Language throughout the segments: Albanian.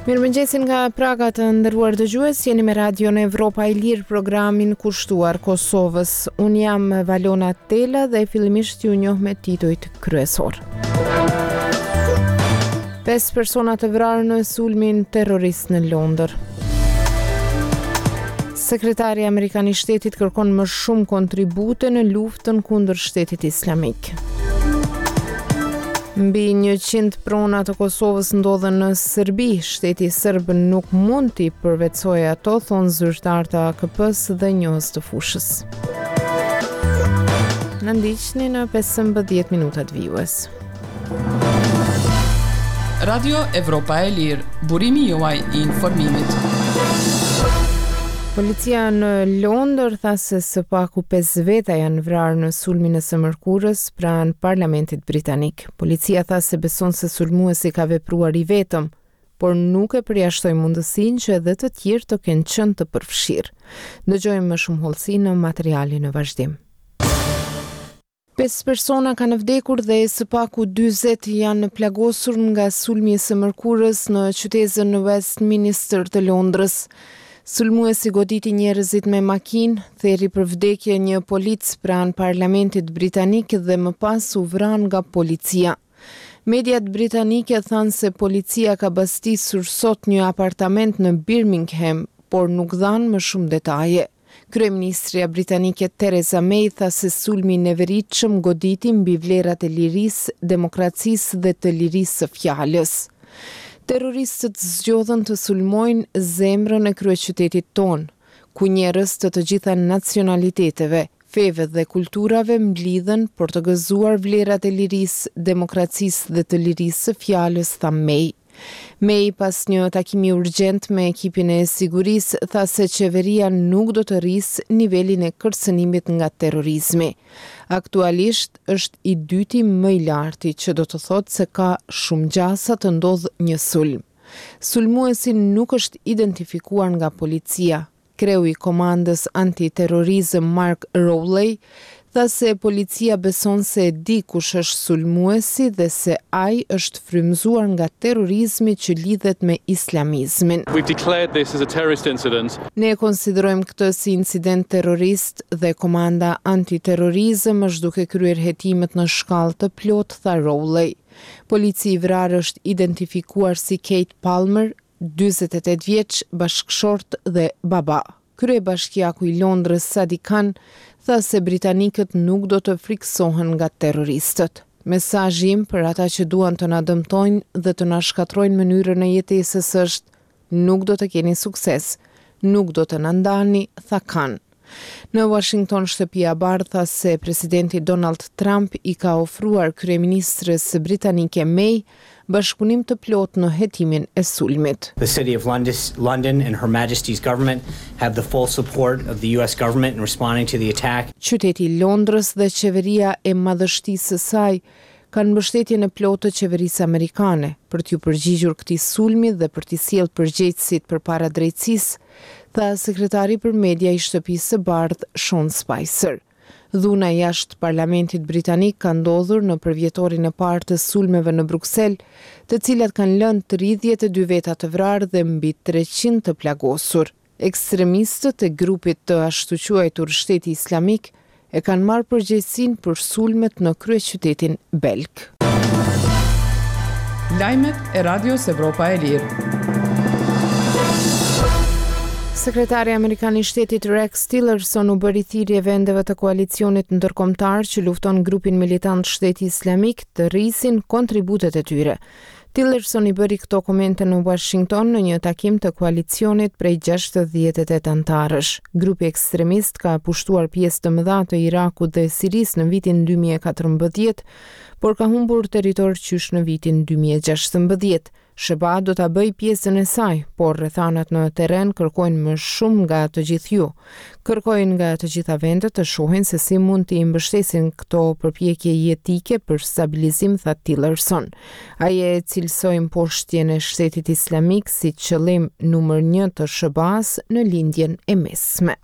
Mirëmëngjesi nga Praga të nderuar dëgjues, jeni me Radion Evropa e Lirë programin kushtuar Kosovës. Unë jam Valona Tela dhe fillimisht ju njoh me titujt kryesorë. 5 persona të vrarë në sulmin terrorist në Londër. Sekretari amerikan i shtetit kërkon më shumë kontribute në luftën kundër shtetit islamik. Mbi 100 prona të Kosovës ndodhen në Serbi. Shteti serb nuk mund t'i përvetësojë ato, thonë zyrtarë të AKP-së dhe njohës të fushës. Na ndiqni në 15 minutat vijues. Radio Evropa e Lirë, burimi juaj i informimit. Policia në Londër tha se së paku 5 veta janë vrarë në sulmin e së mërkurës pranë Parlamentit Britanik. Policia tha se beson se sulmuesi ka vepruar i vetëm, por nuk e përjashtoi mundësinë që edhe të tjerë të kenë qenë të përfshirë. Dëgjojmë më shumë hollësi në materialin në vazhdim. Pesë persona kanë vdekur dhe së paku 40 janë plagosur nga sulmi i së mërkurës në qytezën Westminster të Londrës. Sulmuesi goditi njerëzit me makinë, theri për vdekje një polic pranë Parlamentit Britanik dhe më pas u vra nga policia. Mediat britanike thanë se policia ka bastisur sot një apartament në Birmingham, por nuk dhanë më shumë detaje. Kryeministrja britanike Theresa May tha se sulmi i neveritshëm goditi mbi vlerat e lirisë, demokracisë dhe të lirisë së fjalës. Terroristët zgjodhën të sulmojnë zemrën e kryeqytetit tonë, ku njerëz të të gjitha nacionaliteteve, feve dhe kulturave mblidhen për të gëzuar vlerat e lirisë, demokracisë dhe të lirisë së fjalës, tha May. May pas një takimi urgjent me ekipin e sigurisë tha se qeveria nuk do të rrisë nivelin e kërcënimit nga terrorizmi. Aktualisht është i dyti më i larti, që do të thotë se ka shumë gjasa të ndodhë një sulm. Sulmuesi nuk është identifikuar nga policia. Kreu i Komandës Anti-Terrorizëm Mark Rowley tha se policia beson se e di kush është sulmuesi dhe se ai është frymëzuar nga terrorizmi që lidhet me islamizmin. Ne e konsiderojmë këtë si incident terrorist dhe Komanda Anti-Terrorizëm është duke kryer hetimet në shkallë të plotë, tha Rowley. Polici i vrarë është identifikuar si Keith Palmer, 48 vjeç, bashkëshort dhe baba. Kryebashkiaku i Londrës, Sadiq Khan, tha se britanikët nuk do të frikësohen nga terroristët. Mesazhi im për ata që duan të na dëmtojnë dhe të na shkatërrojnë mënyrën e jetesës është nuk do të keni sukses, nuk do të na ndani, tha Khan. Në Uashington, Shtëpia e Bardhë tha se presidenti Donald Trump i ka ofruar kryeministres britanike May bashkëpunim të plotë në hetimin e sulmit. The City of London and Her Majesty's Government have the full support of the US government in responding to the attack. Qyteti i Londrës dhe qeveria e madhështisë së saj kanë mbështetjen e plotë të qeverisë amerikane për t'iu përgjigjur këtij sulmi dhe për t'i sjellë përgjegjësit përpara drejtësisë, tha sekretari për media i Shtëpisë së Bardhë, Sean Spicer. Dhuna jashtë Parlamentit britanik ka ndodhur në përvjetorin e parë të sulmeve në Bruksel, të cilat kanë lënë 32 veta të vrarë dhe mbi 300 të plagosur. Ekstremistët e grupit të ashtuquajtur Shteti Islamik e kanë marrë përgjegjësinë për sulmet në kryeqytetin belg. Lajmet e Radios Evropa e Lirë. Sekretari amerikan i shtetit Rex Tillerson u bëri thirrje vendeve të koalicionit ndërkombëtar që lufton grupin militant Shteti Islamik të rrisin kontributet e tyre. Tillerson i bëri këto komente në Washington në një takim të koalicionit prej 68 anëtarësh. Grupi ekstremist ka pushtuar pjesë të mëdha të Irakut dhe Sirisë në vitin 2014, por ka humbur territor qysh në vitin 2016. SHBA do ta bëjë pjesën e saj, por rrethanat në terren kërkojnë më shumë nga të gjithë ju. Kërkoj nga të gjitha vendet të shohin se si mund t'i mbështesin këto përpjekje jetike për stabilizim, tha Tillerson. Ai e cilësoi mposhtjen e Shtetit Islamik si qëllim numër një të SHBA-së në Lindjen e Mesme.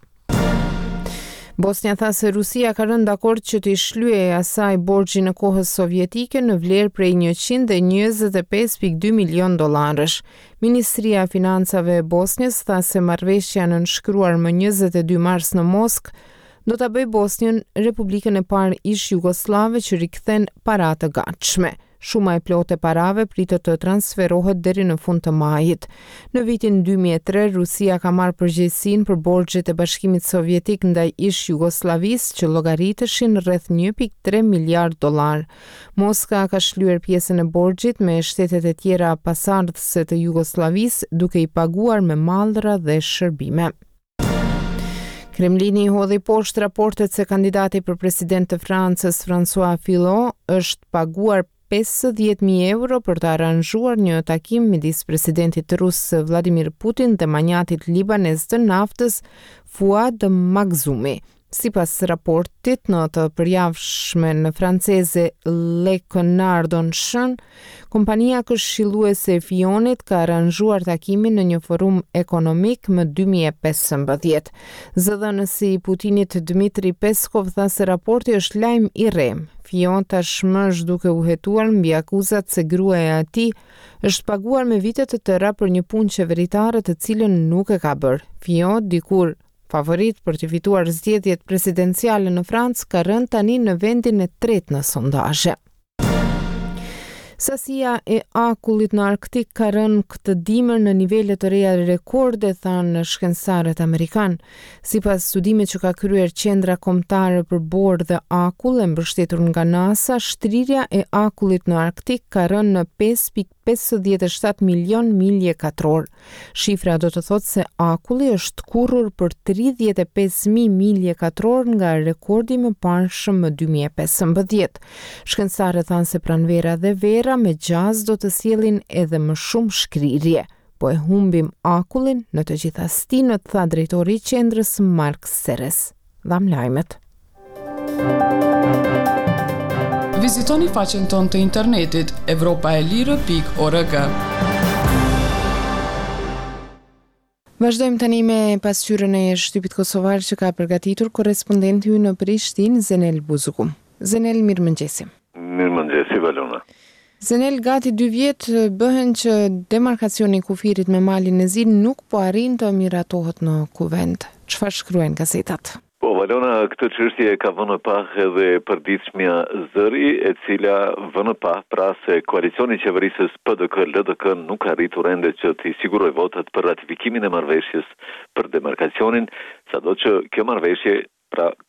Bosnja tha se Rusia ka rënë dakord që t'i shlyejë asaj borxhin e kohës sovjetike në vlerë prej 125.2 milionë dollarësh. Ministria e Financave e Bosnjës tha se marrëveshja e nënshkruar më 22 mars në Moskë do ta bëjë Bosnjën republikën e parë ish-jugosllave që rikthen para të gatshme. Shuma e plotë e parave pritet të transferohet deri në fund të majit. Në vitin 2003, Rusia ka marrë përgjegjësinë për borxhet e Bashkimit Sovjetik ndaj ish-Jugosllavisë që llogariteshin rreth 1.3 miliardë dollarë. Moska ka shlyer pjesën e borxhit me shtetet e tjera pasardhëse të Jugosllavisë, duke i paguar me mallra dhe shërbime. Kremlini i hodhi poshtë raportet se kandidati për president të Francës, François Fillon, është paguar 50.000 euro për të aranzhuar një takim midis presidentit rus Vladimir Putin dhe manjatit libanez të naftës Fuad Makhzumi. Sipas raportit në të përjavshmen franceze Le Canard Enchaîné, kompania këshilluese e Fillonit ka aranzhuar takimin në një forum ekonomik më 2015. Zëdhënësi i Putinit Dmitry Peskov tha se raporti është lajm i rremë. Fillon tashmë është duke u hetuar mbi akuzat se gruaja e tij është paguar me vite të tëra për një punë qeveritare të cilën nuk e ka bërë. Fillon dikur Favorit për të fituar zgjedhjet presidenciale në Francë ka rënë tani në vendin e tretë në sondazhe. Sasia e akullit në Arktik ka rënë këtë dimër në nivele të reja rekorde, thanë shkencëtarët amerikanë. Sipas studimit që ka kryer Qendra Kombëtare për Borë dhe Akull e mbështetur nga NASA, shtrirja e akullit në Arktik ka rënë në 5.57 milion milje katrorë. Shifra do të thotë se akulli është tkurrur për 35.000 milje katrorë nga rekordi i mëparshëm më 2015. Shkencëtarët thanë se pranvera dhe vera me gjasë do të sjellin edhe më shumë shkrirje. Po e humbim akullin në të gjitha stinët, tha drejtori i qendrës Mark Seres. Dhamë lajmet. Vizitoni faqen tonë të internetit evropaelire.org. Vazhdojmë tani me pasqyrën e shtypit kosovar që ka përgatitur korrespondenti ynë në Prishtinë, Zenel Buzuku. Zenel, mirëmëngjesi. Mirëmëngjesi, Valona. Zenel, gati dy vjet bëhen që demarkacioni i kufirit me Malin e Zi nuk po arrin të miratohet në Kuvend. Çfarë shkruajnë gazetat? Po, Valona, këtë çështje e ka vënë në pah edhe e përditshmja Zëri, e cila vë në pah pra se koalicioni qeverisës PDK-LDK nuk ka arritur ende që t'i sigurojë votat për ratifikimin e marrëveshjes për demarkacionin, sado që kjo marrëveshje pra ka.